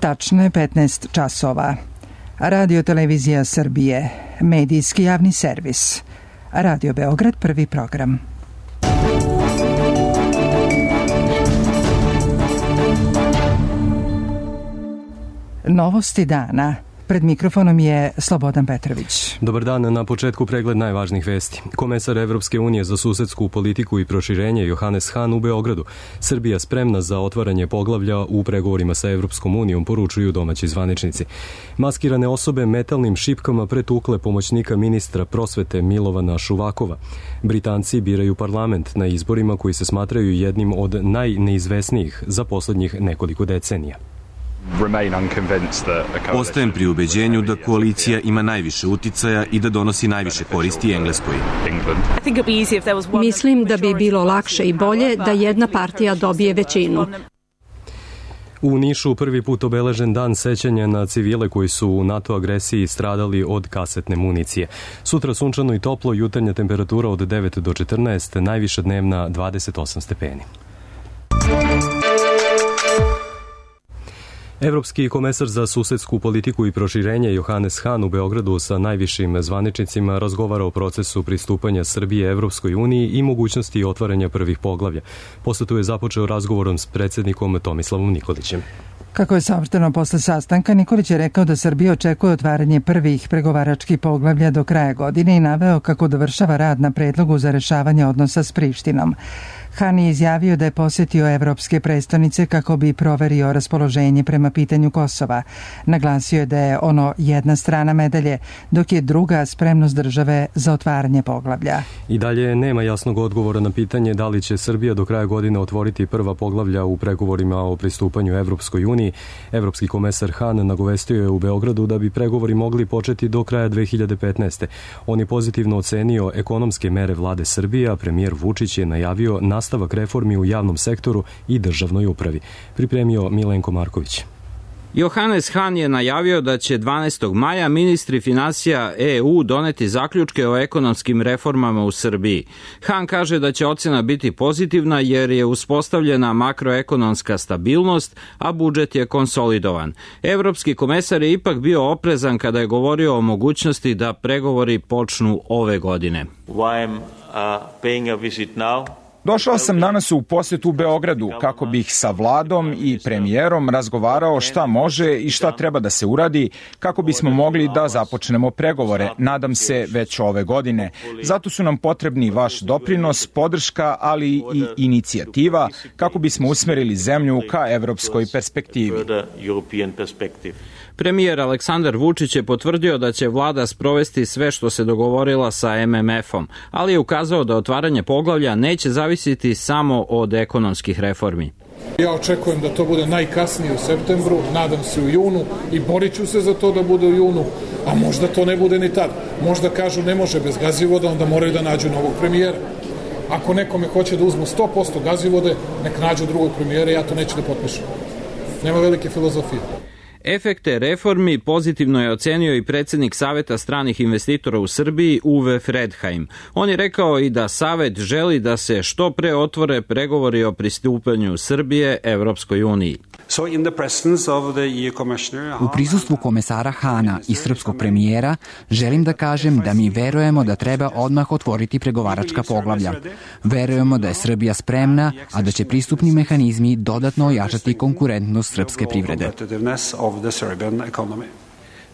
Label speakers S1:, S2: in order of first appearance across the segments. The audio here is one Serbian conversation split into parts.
S1: Tačno je 15 časova. Radio Televizija Srbije, medijski javni servis. Radio Beograd, prvi program. Novosti dana. Pred mikrofonom je Slobodan Petrović.
S2: Dobar dan, na početku pregled najvažnijih vesti. Komesar Evropske unije za susedsku politiku i proširenje Johannes Hahn u Beogradu. Srbija spremna za otvaranje poglavlja u pregovorima sa Evropskom unijom, poručuju domaći zvaničnici. Maskirane osobe metalnim šipkama pretukle pomoćnika ministra prosvete Milovana Šuvakova. Britanci biraju parlament na izborima koji se smatraju jednim od najneizvesnijih za poslednjih nekoliko decenija.
S3: Ostajem pri ubeđenju da koalicija ima najviše uticaja i da donosi najviše koristi Engleskoj.
S4: Mislim da bi bilo lakše i bolje da jedna partija dobije većinu.
S2: U Nišu prvi put obeležen dan sećanja na civile koji su u NATO agresiji stradali od kasetne municije. Sutra sunčano i toplo, jutarnja temperatura od 9 do 14, najviša dnevna 28 stepeni. Evropski komesar za susedsku politiku i proširenje Johannes Hahn u Beogradu sa najvišim zvaničnicima razgovara o procesu pristupanja Srbije Evropskoj uniji i mogućnosti otvaranja prvih poglavlja. Posetu je započeo razgovorom s predsjednikom Tomislavom Nikolićem.
S1: Kako je saopšteno posle sastanka, Nikolić je rekao da Srbija očekuje otvaranje prvih pregovaračkih poglavlja do kraja godine i naveo kako dovršava rad na predlogu za rešavanje odnosa s Prištinom. Hahn je izjavio da je posetio evropske prestonice kako bi proverio raspoloženje prema pitanju Kosova. Naglasio je da je ono jedna strana medalje, dok je druga spremnost države za otvaranje poglavlja.
S2: I dalje nema jasnog odgovora na pitanje da li će Srbija do kraja godine otvoriti prva poglavlja u pregovorima o pristupanju Evropskoj uniji. Evropski komesar Hahn nagovestio je u Beogradu da bi pregovori mogli početi do kraja 2015. On je pozitivno ocenio ekonomske mere vlade Srbije, a premijer Vučić je najavio nastavak reformi u javnom sektoru i državnoj upravi. Pripremio Milenko Marković.
S5: Johannes Hahn je najavio da će 12. maja ministri finansija EU doneti zaključke o ekonomskim reformama u Srbiji. Hahn kaže da će ocena biti pozitivna jer je uspostavljena makroekonomska stabilnost, a budžet je konsolidovan. Evropski komesar je ipak bio oprezan kada je govorio o mogućnosti da pregovori počnu ove godine.
S6: Došao sam danas u posetu u Beogradu kako bih sa vladom i premijerom razgovarao šta može i šta treba da se uradi kako bismo mogli da započnemo pregovore, nadam se već ove godine. Zato su nam potrebni vaš doprinos, podrška, ali i inicijativa kako bismo usmerili zemlju ka evropskoj perspektivi.
S5: Premijer Aleksandar Vučić je potvrdio da će vlada sprovesti sve što se dogovorila sa MMF-om, ali je ukazao da otvaranje poglavlja neće zavisiti samo od ekonomskih reformi.
S7: Ja očekujem da to bude najkasnije u septembru, nadam se u junu i borit ću se za to da bude u junu, a možda to ne bude ni tad. Možda kažu ne može bez Gazivoda, onda moraju da nađu novog premijera. Ako nekome hoće da uzmu 100% Gazivode, nek nađu drugog premijera, ja to neću da potpišem. Nema velike filozofije.
S5: Efekte reformi pozitivno je ocenio i predsjednik Saveta stranih investitora u Srbiji Uwe Fredheim. On je rekao i da Savet želi da se što pre otvore pregovori o pristupanju Srbije Evropskoj uniji.
S8: U prisustvu komesara Hahna i srpskog premijera želim da kažem da mi verujemo da treba odmah otvoriti pregovaračka poglavlja. Verujemo da je Srbija spremna, a da će pristupni mehanizmi dodatno ojačati konkurentnost srpske privrede.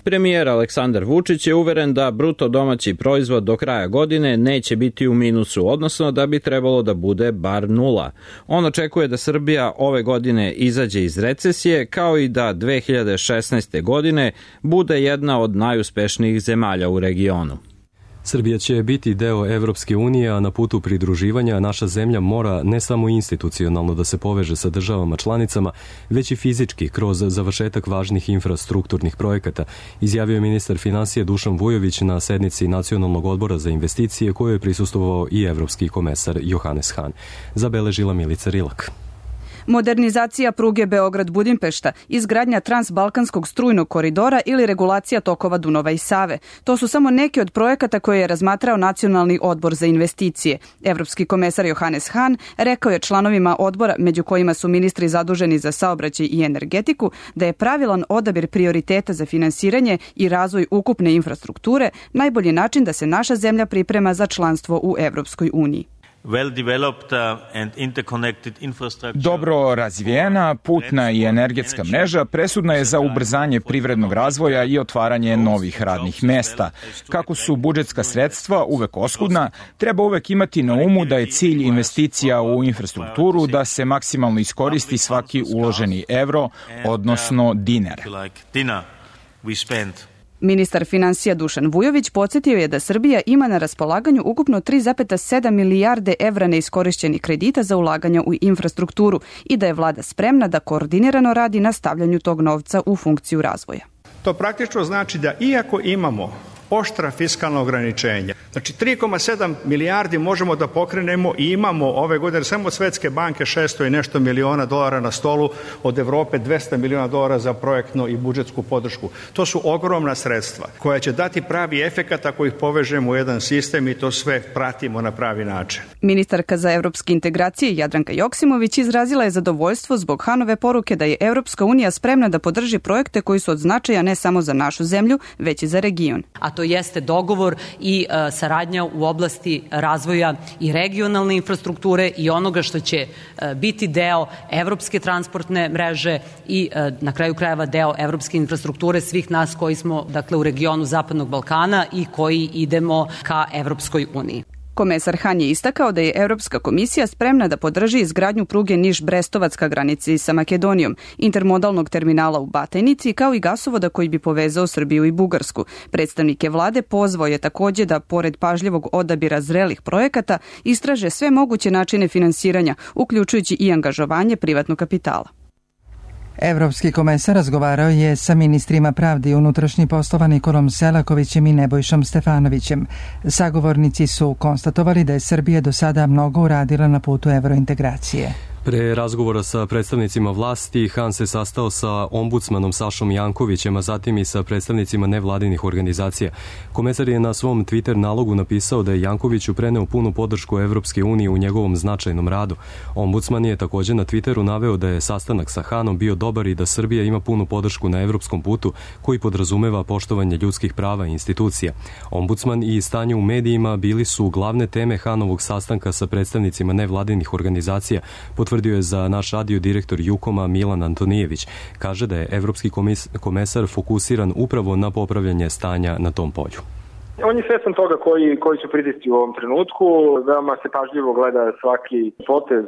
S5: Premijer Aleksandar Vučić je uveren da bruto domaći proizvod do kraja godine neće biti u minusu, odnosno da bi trebalo da bude bar nula. On očekuje da Srbija ove godine izađe iz recesije, kao i da 2016. godine bude jedna od najuspešnijih zemalja u regionu.
S2: Srbija će biti deo Evropske unije, a na putu pridruživanja naša zemlja mora ne samo institucionalno da se poveže sa državama članicama, već i fizički kroz završetak važnih infrastrukturnih projekata, izjavio je ministar finansija Dušan Vujović na sednici Nacionalnog odbora za investicije koje je prisustvovao i evropski komesar Johannes Hahn. Zabeležila Milica Rilak.
S9: Modernizacija pruge Beograd-Budimpešta, izgradnja transbalkanskog strujnog koridora ili regulacija tokova Dunava i Save. To su samo neki od projekata koje je razmatrao Nacionalni odbor za investicije. Evropski komesar Johannes Hahn rekao je članovima odbora, među kojima su ministri zaduženi za saobraćaj i energetiku, da je pravilan odabir prioriteta za finansiranje i razvoj ukupne infrastrukture najbolji način da se naša zemlja priprema za članstvo u Evropskoj uniji.
S6: Dobro razvijena putna i energetska mreža presudna je za ubrzanje privrednog razvoja i otvaranje novih radnih mesta. Kako su budžetska sredstva uvek oskudna, treba uvek imati na umu da je cilj investicija u infrastrukturu da se maksimalno iskoristi svaki uloženi evro, odnosno dinar.
S9: Ministar finansija Dušan Vujović podsjetio je da Srbija ima na raspolaganju ukupno 3,7 milijarde evra neiskorišćenih kredita za ulaganja u infrastrukturu i da je vlada spremna da koordinirano radi na stavljanju tog novca u funkciju razvoja.
S10: To praktično znači da iako imamo oštra fiskalna ograničenja. Znači 3,7 milijardi možemo da pokrenemo i imamo ove godine samo od Svetske banke 600 i nešto miliona dolara na stolu, od Evrope 200 miliona dolara za projektno i budžetsku podršku. To su ogromna sredstva koja će dati pravi efekat ako ih povežemo u jedan sistem i to sve pratimo na pravi način.
S9: Ministarka za evropske integracije Jadranka Joksimović izrazila je zadovoljstvo zbog Hanove poruke da je Evropska unija spremna da podrži projekte koji su od značaja ne samo za našu zemlju, već i za region.
S11: A to jeste dogovor i saradnja u oblasti razvoja i regionalne infrastrukture i onoga što će biti deo evropske transportne mreže i na kraju krajeva deo evropske infrastrukture svih nas koji smo u regionu Zapadnog Balkana i koji idemo ka Evropskoj uniji.
S9: Komesar Hahn je istakao da je Evropska komisija spremna da podrži izgradnju pruge Niš-Brestovac ka granici sa Makedonijom, intermodalnog terminala u Batajnici, kao i gasovoda koji bi povezao Srbiju i Bugarsku. Predstavnike vlade pozvao je takođe da, pored pažljivog odabira zrelih projekata, istraže sve moguće načine finansiranja, uključujući i angažovanje privatnog kapitala.
S1: Evropski komesar razgovarao je sa ministrima pravde i unutrašnjih poslova Nikolom Selakovićem i Nebojšom Stefanovićem. Sagovornici su konstatovali da je Srbija do sada mnogo uradila na putu evrointegracije.
S2: Pre razgovora sa predstavnicima vlasti, Hahn se sastao sa ombudsmanom Sašom Jankovićem, a zatim i sa predstavnicima nevladinih organizacija. Komesar je na svom Twitter nalogu napisao da je Jankoviću preneo punu podršku Evropske unije u njegovom značajnom radu. Ombudsman je takođe na Twitteru naveo da je sastanak sa Hahnom bio dobar i da Srbija ima punu podršku na evropskom putu koji podrazumeva poštovanje ljudskih prava i institucija. Ombudsman i stanje u medijima bili su glavne teme Hahnovog sastanka sa predstavnicima nevladinih organizacija, potvrdio je za naš radio direktor Jukoma Milan Antonijević. Kaže da je evropski komesar fokusiran upravo na popravljanje stanja na tom polju.
S12: On je svestan toga koji su pritisci u ovom trenutku. Veoma se pažljivo gleda svaki potez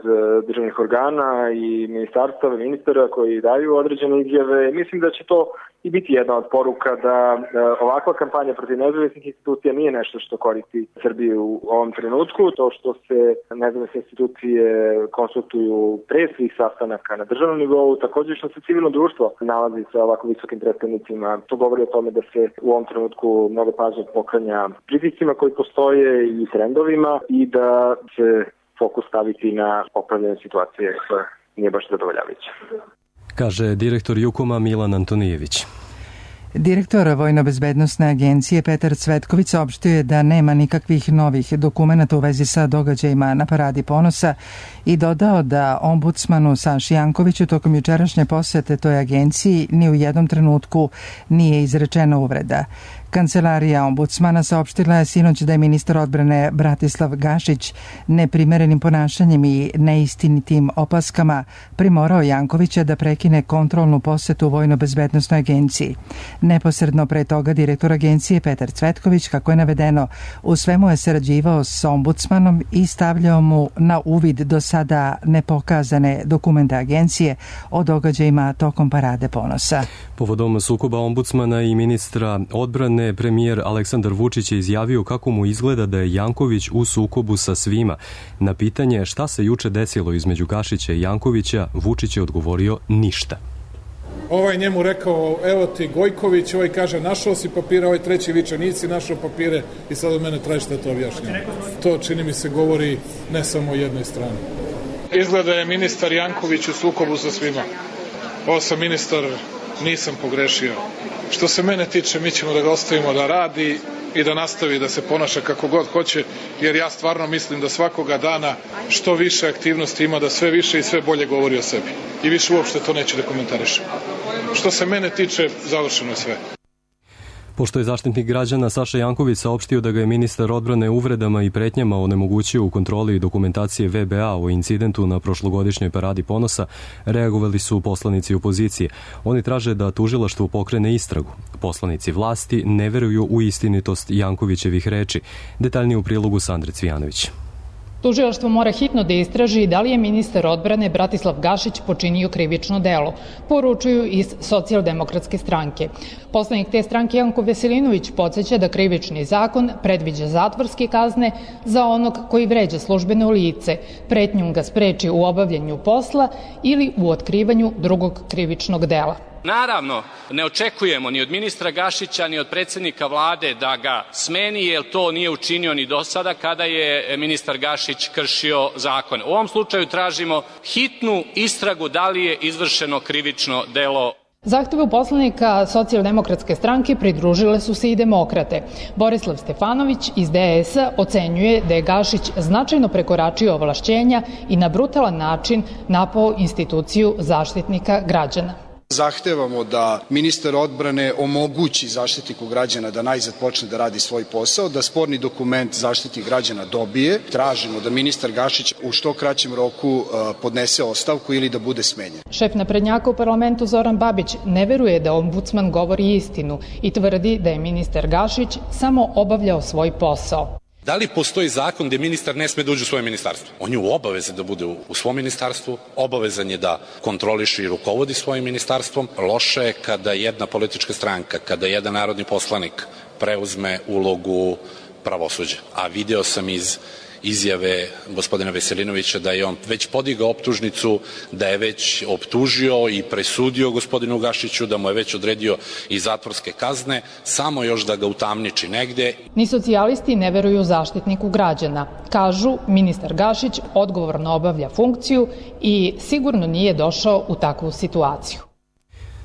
S12: državnih organa i ministarstava, ministara koji daju određene izjave. Mislim da će to i biti jedna od poruka da ovakva kampanja protiv nezavisnih institucija nije nešto što koristi Srbiju u ovom trenutku. To što se nezavisne institucije konsultuju pre svih sastanaka na državnom nivou, također što se civilno društvo nalazi sa ovako visokim predstavnicima. To govori o tome da se u ovom trenutku mnogo pažnje poklanja pritiscima koji postoje i trendovima i da se fokus staviti na popravljanje situacije koja nije baš zadovoljavajuća.
S2: Kaže direktor Jukoma Milan Antonijević.
S1: Direktor Vojno-bezbednosne agencije Petar Cvetković saopštio je da nema nikakvih novih dokumenata u vezi sa događajima na Paradi ponosa i dodao da ombudsmanu Saši Jankoviću tokom jučerašnje posete toj agenciji ni u jednom trenutku nije izrečena uvreda. Kancelarija ombudsmana saopštila je sinoć da je ministar odbrane Bratislav Gašić neprimerenim ponašanjem i neistinitim opaskama primorao Jankovića da prekine kontrolnu posetu Vojno-bezbednosnoj agenciji. Neposredno pre toga direktor agencije Petar Cvetković, kako je navedeno, u svemu je sarađivao s ombudsmanom i stavljao mu na uvid do sada nepokazane dokumente agencije o događajima tokom Parade ponosa.
S2: Povodom sukoba ombudsmana i ministra odbrane, premijer Aleksandar Vučić je izjavio kako mu izgleda da je Janković u sukobu sa svima. Na pitanje šta se juče desilo između Gašića i Jankovića, Vučić je odgovorio ništa.
S7: Ovaj njemu rekao, evo ti Gojković, ovaj kaže našao si papire, ovaj treći viče nisi našao papire i sad od mene traži šta to objašnjava. To čini mi se govori ne samo o jednoj strani. Izgleda je ministar Janković u sukobu sa svima. Ovo sam ministar, nisam pogrešio. Što se mene tiče, mi ćemo da ga ostavimo da radi i da nastavi da se ponaša kako god hoće, jer ja stvarno mislim da svakoga dana što više aktivnosti ima, da sve više i sve bolje govori o sebi. I više uopšte to neću da komentarišem. Što se mene tiče, završeno je sve.
S2: Pošto je Zaštitnik građana Saša Janković saopštio da ga je ministar odbrane uvredama i pretnjama onemogućio u kontroli dokumentacije VBA o incidentu na prošlogodišnjoj paradi ponosa, reagovali su poslanici opozicije. Oni traže da tužilaštvo pokrene istragu. Poslanici vlasti ne veruju u istinitost Jankovićevih reči. Detaljnije u prilogu Sandre Cvijanović.
S13: Tužilaštvo mora hitno da istraži da li je ministar odbrane Bratislav Gašić počinio krivično delo, poručuju iz Socijaldemokratske stranke. Poslanik te stranke Janko Veselinović podseća da krivični zakon predviđa zatvorske kazne za onog koji vređa službeno lice, pretnjom ga spreči u obavljanju posla ili u otkrivanju drugog krivičnog dela.
S14: Naravno, ne očekujemo ni od ministra Gašića, ni od predsjednika vlade da ga smeni, jer to nije učinio ni do sada kada je ministar Gašić kršio zakon. U ovom slučaju tražimo hitnu istragu da li je izvršeno krivično delo.
S13: Zahtevu poslanika Socijaldemokratske stranke pridružile su se i demokrate. Borislav Stefanović iz DS-a ocenjuje da je Gašić značajno prekoračio ovlašćenja i na brutalan način napao instituciju Zaštitnika građana.
S15: Zahtevamo da ministar odbrane omogući Zaštitniku građana da najzad počne da radi svoj posao, da sporni dokument Zaštitnik građana dobije. Tražimo da ministar Gašić u što kraćem roku podnese ostavku ili da bude smenjen.
S13: Šef naprednjaka u parlamentu Zoran Babić ne veruje da ombudsman govori istinu i tvrdi da je ministar Gašić samo obavljao svoj posao.
S16: Da li postoji zakon gde ministar ne sme da uđe u svoje ministarstvo? On je u obavezi da bude u svom ministarstvu, obavezan je da kontroliše i rukovodi svojim ministarstvom. Loše je kada jedna politička stranka, kada jedan narodni poslanik preuzme ulogu pravosuđa. A video sam iz izjave gospodina Veselinovića da je on već podigao optužnicu, da je već optužio i presudio gospodinu Gašiću, da mu je već odredio i zatvorske kazne, samo još da ga utamniči negde.
S13: Ni socijalisti ne veruju Zaštitniku građana. Kažu, ministar Gašić odgovorno obavlja funkciju i sigurno nije došao u takvu situaciju.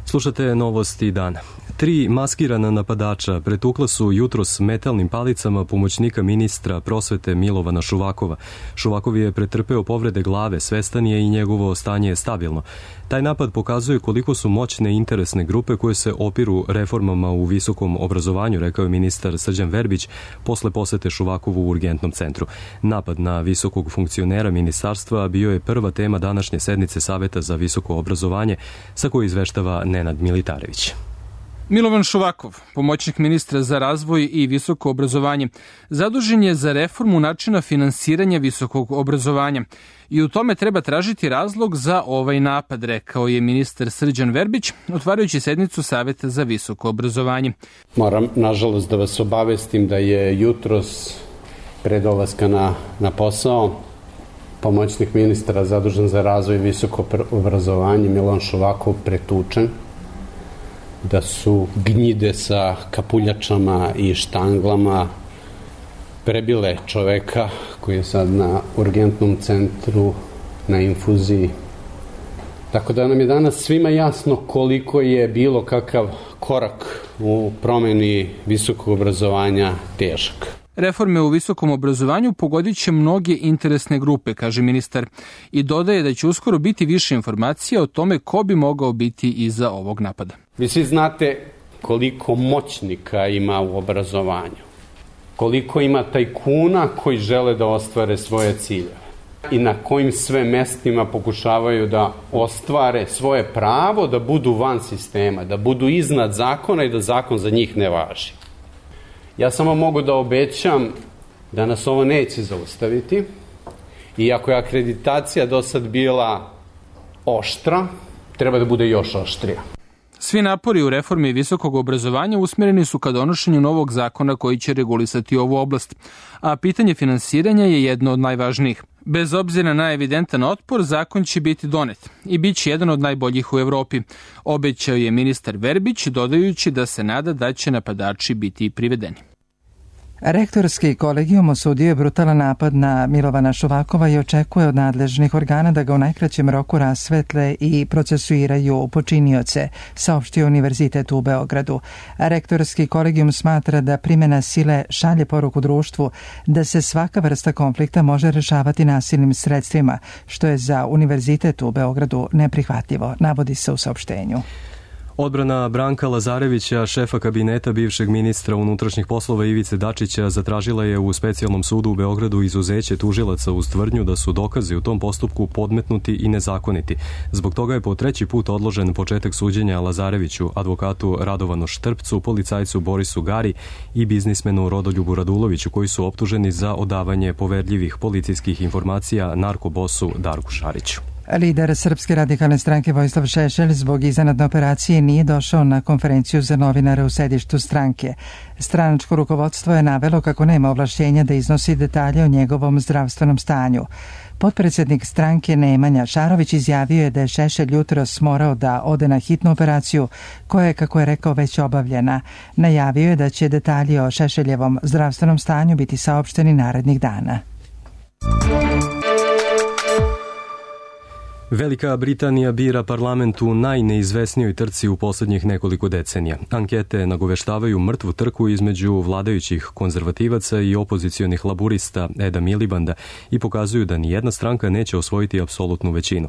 S2: Slušate novosti dana. 3 maskirana napadača pretukla su jutros metalnim palicama pomoćnika ministra prosvete Milovana Šuvakova. Šuvakov je pretrpeo povrede glave, svestan je i njegovo stanje je stabilno. Taj napad pokazuje koliko su moćne interesne grupe koje se opiru reformama u visokom obrazovanju, rekao je ministar Srđan Verbić posle posete Šuvakovu u urgentnom centru. Napad na visokog funkcionera ministarstva bio je prva tema današnje sednice Saveta za visoko obrazovanje, sa koje izveštava Nenad Militarević.
S17: Milovan Šuvakov, pomoćnik ministra za razvoj i visoko obrazovanje, zadužen je za reformu načina finansiranja visokog obrazovanja i u tome treba tražiti razlog za ovaj napad, rekao je ministar Srđan Verbić, otvarajući sednicu Saveta za visoko obrazovanje.
S18: Moram, nažalost, da vas obavestim da je jutros pre dolaska na posao pomoćnik ministra zadužen za razvoj i visoko obrazovanje Milovan Šuvakov pretučen, da su gnjide sa kapuljačama i štanglama prebile čoveka koji je sad na urgentnom centru na infuziji. Tako da nam je danas svima jasno koliko je bilo kakav korak u promeni visokog obrazovanja težak.
S17: Reforme u visokom obrazovanju pogodit će mnoge interesne grupe, kaže ministar, i dodaje da će uskoro biti više informacija o tome ko bi mogao biti iza ovog napada.
S18: Vi svi znate koliko moćnika ima u obrazovanju, koliko ima tajkuna koji žele da ostvare svoje ciljeve i na kojim sve mestima pokušavaju da ostvare svoje pravo da budu van sistema, da budu iznad zakona i da zakon za njih ne važi. Ja samo mogu da obećam da nas ovo neće zaustaviti, iako je akreditacija do sad bila oštra, treba da bude još oštrija.
S17: Svi napori u reformi visokog obrazovanja usmjereni su ka donošenju novog zakona koji će regulisati ovu oblast, a pitanje finansiranja je jedno od najvažnijih. Bez obzira na evidentan otpor, zakon će biti donet i bit će jedan od najboljih u Evropi, obećao je ministar Verbić, dodajući da se nada da će napadači biti privedeni.
S1: Rektorski kolegijum osudio je brutalan napad na Milovana Šuvakova i očekuje od nadležnih organa da ga u najkraćem roku rasvetle i procesuiraju počinioce, saopštio Univerzitet u Beogradu. Rektorski kolegijum smatra da primjena sile šalje poruku društvu da se svaka vrsta konflikta može rešavati nasilnim sredstvima, što je za Univerzitet u Beogradu neprihvatljivo, navodi se u saopštenju.
S2: Odbrana Branka Lazarevića, šefa kabineta bivšeg ministra unutrašnjih poslova Ivice Dačića, zatražila je u specijalnom sudu u Beogradu izuzeće tužilaca uz tvrdnju da su dokazi u tom postupku podmetnuti i nezakoniti. Zbog toga je po treći put odložen početak suđenja Lazareviću, advokatu Radovanu Štrpcu, policajcu Borisu Gari i biznismenu Rodoljubu Raduloviću, koji su optuženi za odavanje poverljivih policijskih informacija narkobosu Darku Šariću.
S1: Lider Srpske radikalne stranke Vojislav Šešelj zbog iznenadne operacije nije došao na konferenciju za novinare u sedištu stranke. Stranačko rukovodstvo je navelo kako nema ovlašćenja da iznosi detalje o njegovom zdravstvenom stanju. Potpredsjednik stranke Nemanja Šarović izjavio je da je Šešelj jutros morao da ode na hitnu operaciju koja je, kako je rekao, već obavljena. Najavio je da će detalji o Šešeljevom zdravstvenom stanju biti saopšteni narednih dana.
S2: Velika Britanija bira parlament u najneizvesnijoj trci u posljednjih nekoliko decenija. Ankete nagoveštavaju mrtvu trku između vladajućih konzervativaca i opozicionih laburista Eda Milibanda i pokazuju da nijedna stranka neće osvojiti apsolutnu većinu.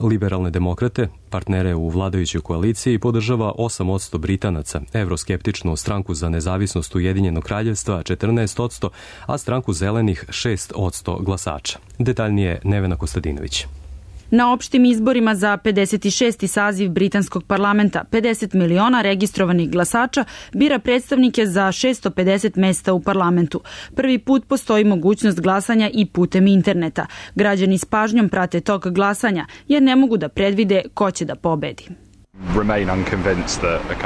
S2: Liberalne demokrate, partnere u vladajućoj koaliciji, podržava 8% Britanaca, evroskeptičnu stranku za nezavisnost Ujedinjenog kraljevstva 14%, a stranku zelenih 6% glasača. Detaljnije Nevena Kostadinović.
S19: Na opštim izborima za 56. saziv britanskog parlamenta 50 miliona registrovanih glasača bira predstavnike za 650 mesta u parlamentu. Prvi put postoji mogućnost glasanja i putem interneta. Građani s pažnjom prate tok glasanja jer ne mogu da predvide ko će da pobedi.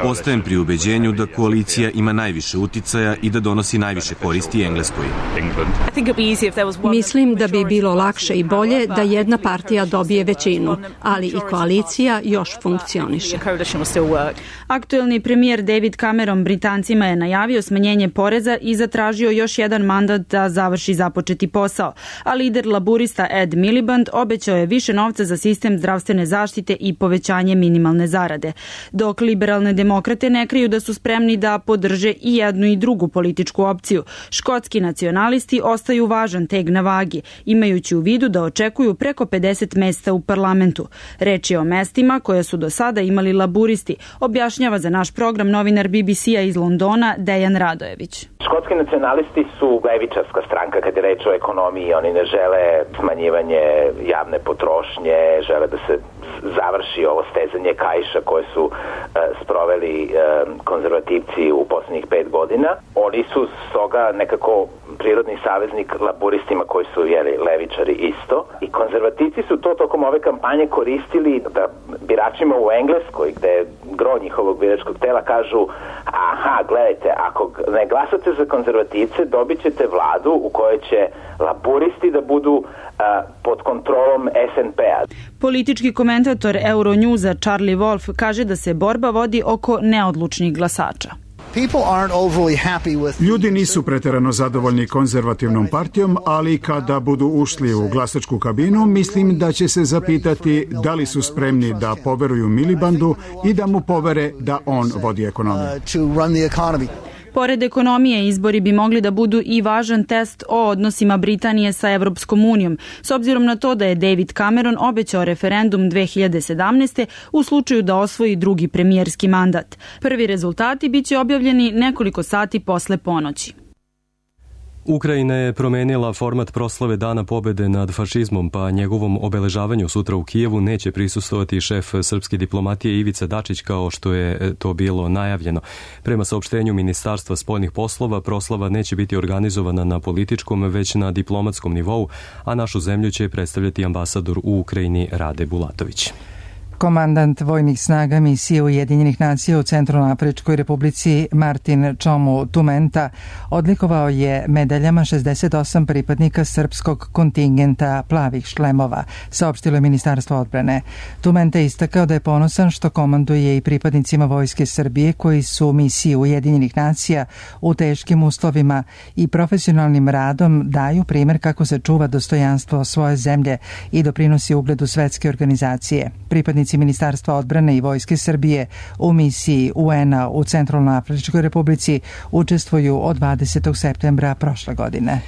S3: Ostajem pri ubeđenju da koalicija ima najviše uticaja i da donosi najviše koristi Engleskoj.
S4: Mislim da bi bilo lakše i bolje da jedna partija dobije većinu, ali i koalicija još funkcioniše.
S19: Aktuelni premijer David Cameron Britancima je najavio smanjenje poreza i zatražio još jedan mandat da završi započeti posao, a lider laburista Ed Miliband obećao je više novca za sistem zdravstvene zaštite i povećanje minimalne zarade. Dok liberalne demokrate ne kriju da su spremni da podrže i jednu i drugu političku opciju, škotski nacionalisti ostaju važan teg na vagi, imajući u vidu da očekuju preko 50 mesta u parlamentu. Reč je o mestima koje su do sada imali laburisti, objašnjava za naš program novinar BBC-a iz Londona Dejan Radojević.
S20: Škotski nacionalisti su levičarska stranka kad je reč o ekonomiji. Oni ne žele smanjivanje javne potrošnje, žele da se završi ovo stezanje kaiša koje su sproveli konzervativci u poslednjih 5 godina. Oni su stoga nekako prirodni saveznik laburistima koji su levičari isto. I konzervativci su to tokom ove kampanje koristili da biračima u Engleskoj, gde je gro njihovog biračkog tela, kažu: aha, gledajte, ako ne glasate za konzervativce, dobit ćete vladu u kojoj će laburisti da budu pod kontrolom SNP-a.
S19: Politički komentator Euronewsa Charlie Wolf kaže da se borba vodi oko neodlučnih glasača.
S21: Ljudi nisu preterano zadovoljni konzervativnom partijom, ali kada budu ušli u glasačku kabinu, mislim da će se zapitati da li su spremni da poveruju Milibandu i da mu povere da on vodi ekonomiju.
S19: Pored ekonomije, izbori bi mogli da budu i važan test o odnosima Britanije sa Evropskom unijom, s obzirom na to da je David Cameron obećao referendum 2017. u slučaju da osvoji drugi premijerski mandat. Prvi rezultati biće objavljeni nekoliko sati posle ponoći.
S2: Ukrajina je promenila format proslave Dana pobede nad fašizmom, pa njegovom obeležavanju sutra u Kijevu neće prisustovati šef srpske diplomatije Ivica Dačić kao što je to bilo najavljeno. Prema saopštenju Ministarstva spoljnih poslova, proslava neće biti organizovana na političkom, već na diplomatskom nivou, a našu zemlju će predstavljati ambasador u Ukrajini Rade Bulatović.
S1: Komandant vojnih snaga misije Ujedinjenih nacija u Centralnoafričkoj republici Martin Čomu Tumenta odlikovao je medaljama 68 pripadnika srpskog kontingenta plavih šlemova, saopštilo je Ministarstvo odbrane. Tumenta je istakao da je ponosan što komanduje i pripadnicima Vojske Srbije koji su u misiji Ujedinjenih nacija u teškim uslovima i profesionalnim radom daju primer kako se čuva dostojanstvo svoje zemlje i doprinosi ugledu svetske organizacije. Pripadnici Ministarstva odbrane i Vojske Srbije u misiji UN-a u Centralnoafričkoj republici učestvuju od 20. septembra prošle godine.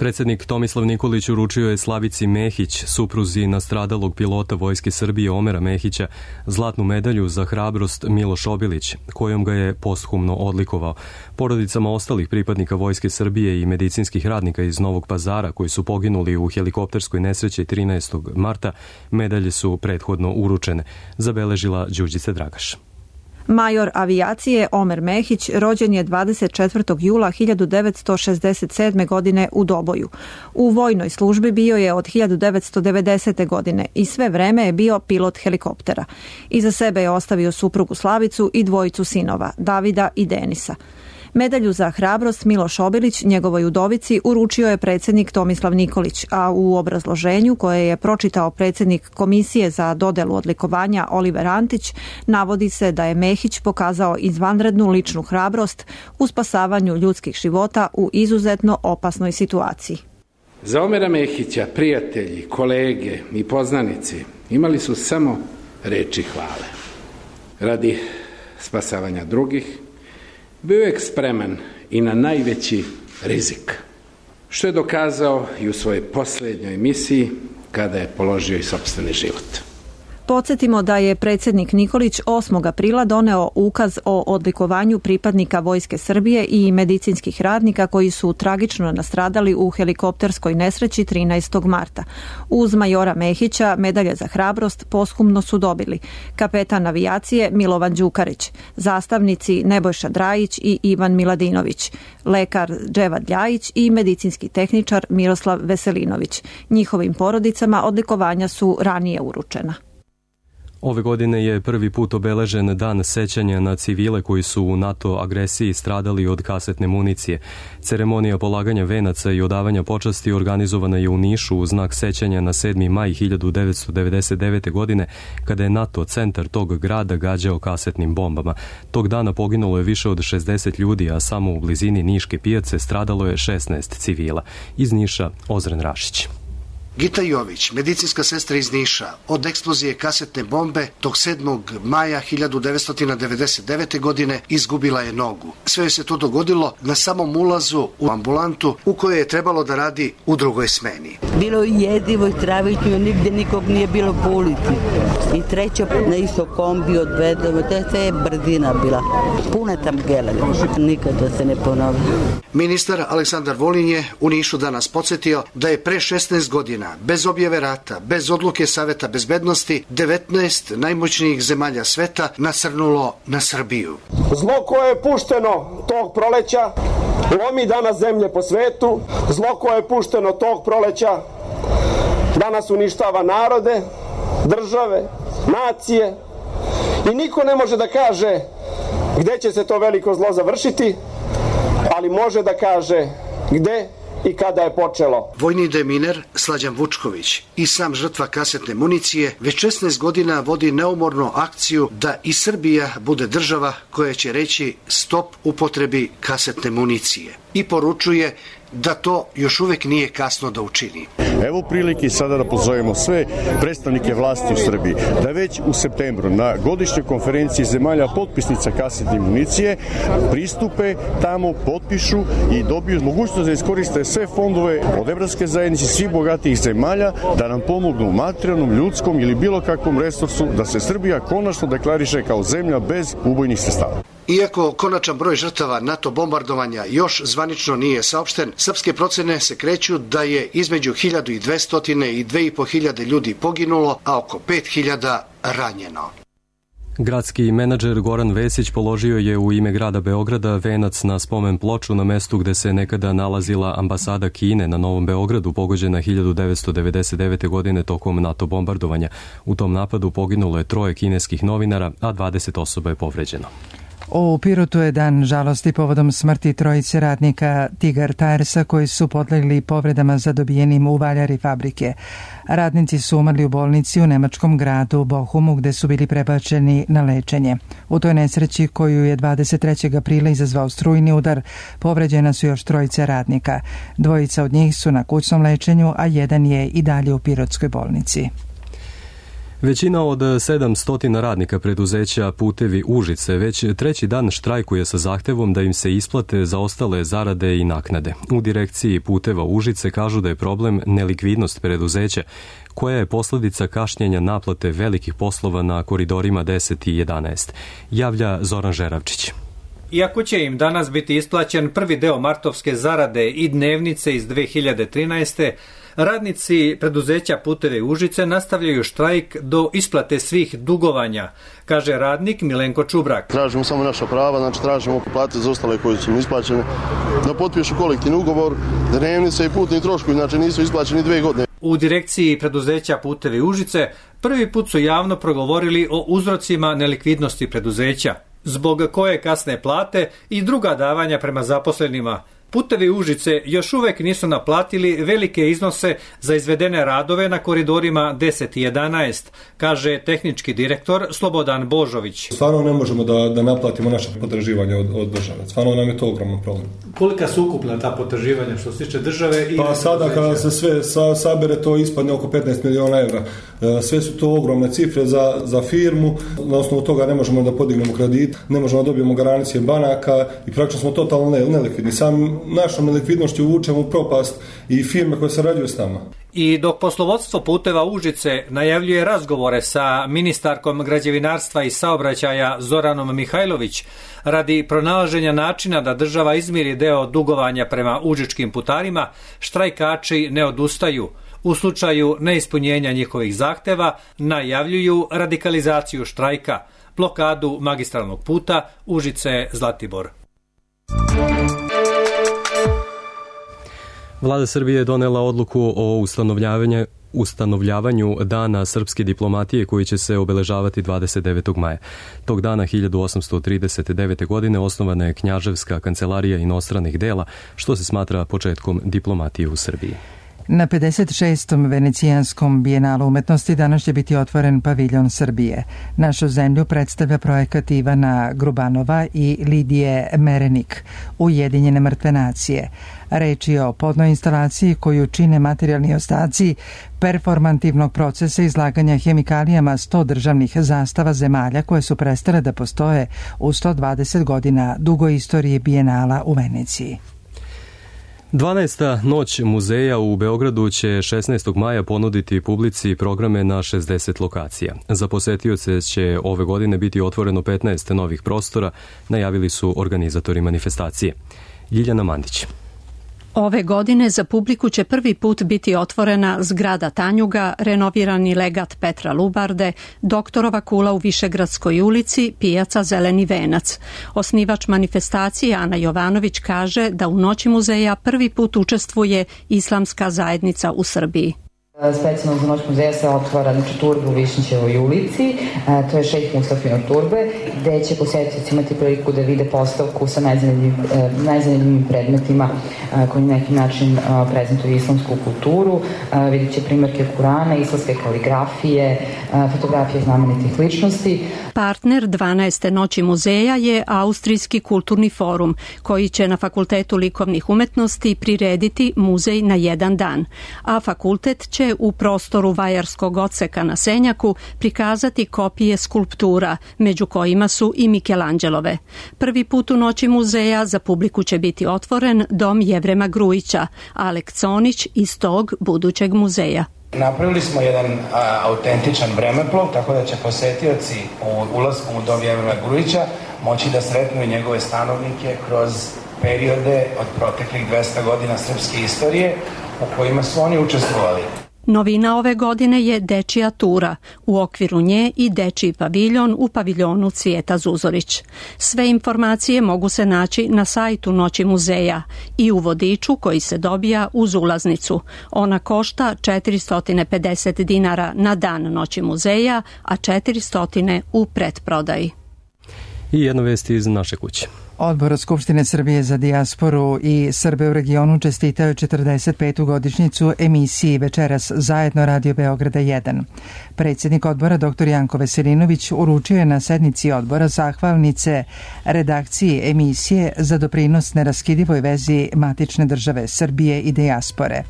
S2: Predsjednik Tomislav Nikolić uručio je Slavici Mehić, supruzi nastradalog pilota Vojske Srbije Omera Mehića, zlatnu medalju za hrabrost Miloš Obilić, kojom ga je posthumno odlikovao. Porodicama ostalih pripadnika Vojske Srbije i medicinskih radnika iz Novog Pazara koji su poginuli u helikopterskoj nesreći 13. marta, medalje su prethodno uručene, zabeležila Đurđica Dragaš.
S8: Major avijacije Omer Mehić rođen je 24. jula 1967. godine u Doboju. U vojnoj službi bio je od 1990. godine i sve vreme je bio pilot helikoptera. Iza sebe je ostavio suprugu Slavicu i dvojicu sinova, Davida i Denisa. Medalju za hrabrost Miloš Obilić njegovoj udovici uručio je predsjednik Tomislav Nikolić, a u obrazloženju koje je pročitao predsjednik Komisije za dodelu odlikovanja Oliver Antić navodi se da je Mehić pokazao izvanrednu ličnu hrabrost u spasavanju ljudskih života u izuzetno opasnoj situaciji.
S22: Za Omera Mehića prijatelji, kolege i poznanici imali su samo reči hvale. Radi spasavanja drugih bio je spreman i na najveći rizik, što je dokazao i u svojoj posljednjoj misiji kada je položio i sopstveni život.
S8: Podsjetimo da je predsjednik Nikolić 8. aprila doneo ukaz o odlikovanju pripadnika Vojske Srbije i medicinskih radnika koji su tragično nastradali u helikopterskoj nesreći 13. marta. Uz majora Mehića medalje za hrabrost posthumno su dobili kapetan avijacije Milovan Đukarić, zastavnici Nebojša Drajić i Ivan Miladinović, lekar Dževad Ljajić i medicinski tehničar Miroslav Veselinović. Njihovim porodicama odlikovanja su ranije uručena.
S2: Ove godine je prvi put obeležen dan sećanja na civile koji su u NATO agresiji stradali od kasetne municije. Ceremonija polaganja venaca i odavanja počasti organizovana je u Nišu u znak sećanja na 7. maj 1999. godine, kada je NATO centar tog grada gađao kasetnim bombama. Tog dana poginulo je više od 60 ljudi, a samo u blizini Niške pijace stradalo je 16 civila. Iz Niša, Ozren Rašić.
S23: Gita Jović, medicinska sestra iz Niša, od eksplozije kasetne bombe tog 7. maja 1999. godine izgubila je nogu. Sve se to dogodilo na samom ulazu u ambulantu u kojoj je trebalo da radi u drugoj smeni.
S24: Bilo je jedivo i stravično, nigde nikog nije bilo po ulici. I treća na isto kombi odvedemo, to je brzina bila. Puna tam gela, nikada se ne ponovi.
S23: Ministar Aleksandar Vulin je u Nišu danas podsjetio da je pre 16 godina bez objave rata, bez odluke Saveta bezbednosti, 19 najmoćnijih zemalja sveta nasrnulo na Srbiju.
S25: Zlo koje je pušteno tog proleća lomi danas zemlje po svetu, zlo koje je pušteno tog proleća danas uništava narode, države, nacije i niko ne može da kaže gde će se to veliko zlo završiti, ali može da kaže gde i kada je počelo.
S23: Vojni deminer Slađan Vučković i sam žrtva kasetne municije već 16 godina vodi neumornu akciju da i Srbija bude država koja će reći stop upotrebi kasetne municije i poručuje da to još uvek nije kasno da učini.
S26: Evo prilike sada da pozovemo sve predstavnike vlasti u Srbiji da već u septembru na godišnjoj konferenciji zemalja potpisnica kasetne municije pristupe tamo, potpišu i dobiju mogućnost da iskoriste sve fondove od Evropske zajednice, svih bogatijih zemalja da nam pomognu u materijalnom, ljudskom ili bilo kakvom resursu da se Srbija konačno deklariše kao zemlja bez ubojnih sredstava.
S23: Iako konačan broj žrtava NATO bombardovanja još zvanično nije saopšten, srpske procene se kreću da je između 1200 i 2500 ljudi poginulo, a oko 5000 ranjeno.
S2: Gradski menadžer Goran Vesić položio je u ime grada Beograda venac na spomen ploču na mestu gde se nekada nalazila ambasada Kine na Novom Beogradu, pogođena 1999. godine tokom NATO bombardovanja. U tom napadu poginulo je 3 kineskih novinara, a 20 osoba je povređeno.
S1: U Pirotu je dan žalosti povodom smrti 3 radnika Tigar Tiresa koji su podlegli povredama zadobijenim u valjari fabrike. Radnici su umrli u bolnici u nemačkom gradu Bochumu gde su bili prebačeni na lečenje. U toj nesreći koju je 23. aprila izazvao strujni udar, povređena su još 3 radnika. 2 od njih su na kućnom lečenju, a 1 je i dalje u Pirotskoj bolnici.
S2: Većina od 700 radnika preduzeća Putevi Užice već 3. dan štrajkuje sa zahtevom da im se isplate zaostale zarade i naknade. U direkciji Puteva Užice kažu da je problem nelikvidnost preduzeća, koja je posljedica kašnjenja naplate velikih poslova na koridorima 10 i 11. Javlja Zoran Žeravčić.
S5: Iako će im danas biti isplaćen prvi deo martovske zarade i dnevnice iz 2013. radnici preduzeća Puteve Užice nastavljaju štrajk do isplate svih dugovanja, kaže radnik Milenko Čubrak.
S6: Tražimo samo naša prava, znači tražimo plate za ostale koje su im isplaćene, da potpišu kolektivni ugovor, dnevnice i putni troškovi, znači nisu isplaćeni 2 godine.
S5: U direkciji preduzeća Putevi Užice prvi put su javno progovorili o uzrocima nelikvidnosti preduzeća, zbog koje kasne plate i druga davanja prema zaposlenima. Putevi Užice još uvek nisu naplatili velike iznose za izvedene radove na koridorima 10 i 11, kaže tehnički direktor Slobodan Božović.
S9: Stvarno ne možemo da naplatimo naše potraživanje od države. Stvarno nam je to ogroman problem.
S5: Kolika su ukupna ta potraživanja što se tiče države?
S9: Pa sada kada se sve sabere, to ispadne oko 15 miliona evra. Sve su to ogromne cifre za firmu. Na osnovu toga ne možemo da podignemo kredit, ne možemo da dobijemo garancije banaka i praktično smo totalno nelikvidni. Našom nelikvidnošću uvučemo u propast i firme koje sarađuju s nama.
S5: I dok poslovodstvo Puteva Užice najavljuje razgovore sa ministarkom građevinarstva i saobraćaja Zoranom Mihajlović radi pronalaženja načina da država izmiri deo dugovanja prema užičkim putarima, štrajkači ne odustaju. U slučaju neispunjenja njihovih zahteva najavljuju radikalizaciju štrajka, blokadu magistralnog puta Užice-Zlatibor.
S2: Vlada Srbije je donela odluku o ustanovljavanju Dana srpske diplomatije koji će se obeležavati 29. maja. Tog dana 1839. godine osnovana je Knjaževska kancelarija inostranih dela, što se smatra početkom diplomatije u Srbiji.
S1: Na 56. Venecijanskom bijenalu umetnosti danas će biti otvoren paviljon Srbije. Našu zemlju predstavlja projekat Ivana Grubanova i Lidije Merenik, Ujedinjene mrtve nacije. Reč je o podnoj instalaciji koju čine materijalni ostaci performantivnog procesa izlaganja hemikalijama 100 državnih zastava zemalja koje su prestale da postoje u 120 godina dugoj istoriji bijenala u Veneciji.
S2: 12. noć muzeja u Beogradu će 16. maja ponuditi publici programe na 60 lokacija. Za posetioce će ove godine biti otvoreno 15 novih prostora, najavili su organizatori manifestacije. Ljiljana Mandić.
S4: Ove godine za publiku će prvi put biti otvorena zgrada Tanjuga, renovirani legat Petra Lubarde, Doktorova kula u Višegradskoj ulici, pijaca Zeleni venac. Osnivač manifestacije Ana Jovanović kaže da u Noći muzeja prvi put učestvuje islamska zajednica u Srbiji.
S10: Specijalno za Noć muzeja se otvara turbe u Višnjićevoj ulici, to je šejh Mustafino turbe, gde će posetioci imati priliku da vide postavku sa najzanimljivim predmetima koji na neki način prezentuju islamsku kulturu. Vidjet će primjerke Kurana, islamske kaligrafije, fotografije znamenitih ličnosti.
S4: Partner 12. Noći muzeja je Austrijski kulturni forum, koji će na Fakultetu likovnih umetnosti prirediti muzej na jedan dan, a fakultet će u prostoru Vajarskog odseka na Senjaku prikazati kopije skulptura, među kojima su i Mikelanđelove. Prvi put u Noći muzeja za publiku će biti otvoren Dom Jevrema Grujića, a lekcionić iz tog budućeg muzeja.
S11: Napravili smo jedan autentičan vremeplov, tako da će posetioci ulaskom u Dom Jevrema Grujića moći da sretnu njegove stanovnike kroz periode od proteklih 200 godina srpske istorije u kojima su oni učestvovali.
S4: Novina ove godine je dečija tura, u okviru nje i dečiji paviljon u paviljonu Cvijeta Zuzorić. Sve informacije mogu se naći na sajtu Noći muzeja i u vodiču koji se dobija uz ulaznicu. Ona košta 450 dinara na dan Noći muzeja, a 400 u pretprodaji.
S2: I jedna vest iz naše kuće.
S1: Odbor Skupštine Srbije za dijasporu i Srbe u regionu čestitao je 45. godišnjicu emisiji Večeras zajedno Radio Beograda 1. Predsjednik odbora dr. Janko Veselinović uručio je na sednici odbora zahvalnice redakciji emisije za doprinos neraskidivoj vezi matične države Srbije i dijaspore.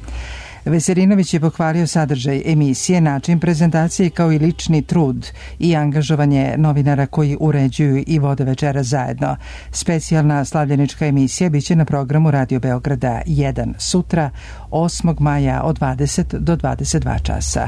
S1: Veselinović je pohvalio sadržaj emisije, način prezentacije kao i lični trud i angažovanje novinara koji uređuju i vode Večeras zajedno. Specijalna slavljenička emisija biće na programu Radio Beograda 1 sutra 8. maja od 20 do 22 časa.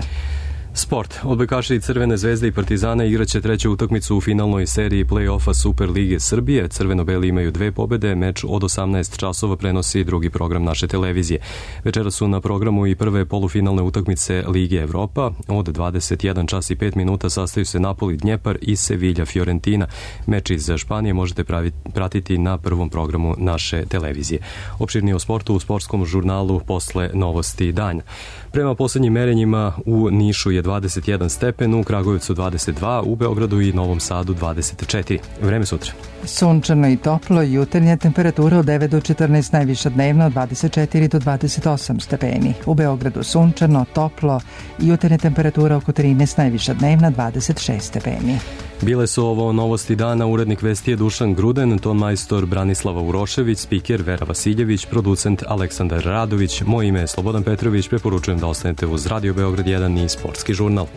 S2: Sport. Odbojkaši Crvene zvezde i Partizana igraće treću utakmicu u finalnoj seriji play-offa Super Lige Srbije. Crveno-beli imaju 2 pobede, meč od 18 časova prenosi drugi program naše televizije. Večera su na programu i prve polufinalne utakmice Lige Evropa. Od 21 čas i 5 minuta sastaju se Napoli Dnjepar i Sevilla Fiorentina. Meč iz Španije možete pratiti na prvom programu naše televizije. Opširnije o sportu u sportskom žurnalu posle novosti dana. Prema poslednjim merenjima u Nišu je 21 stepen, u Kragujevcu 22, u Beogradu i Novom Sadu 24. Vreme sutra.
S1: Sunčano i toplo, jutarnja temperatura od 9 do 14, najviša dnevna od 24 do 28 stepeni. U Beogradu sunčano, toplo, jutarnja temperatura oko 13, najviša dnevna 26 stepeni.
S2: Bile su ovo novosti dana, urednik vesti je Dušan Gruden, ton majstor Branislava Urošević, spiker Vera Vasiljević, producent Aleksandar Radović, moje ime je Slobodan Petrović, preporučujem da ostanete uz Radio Beograd 1 i Sportski žurnal.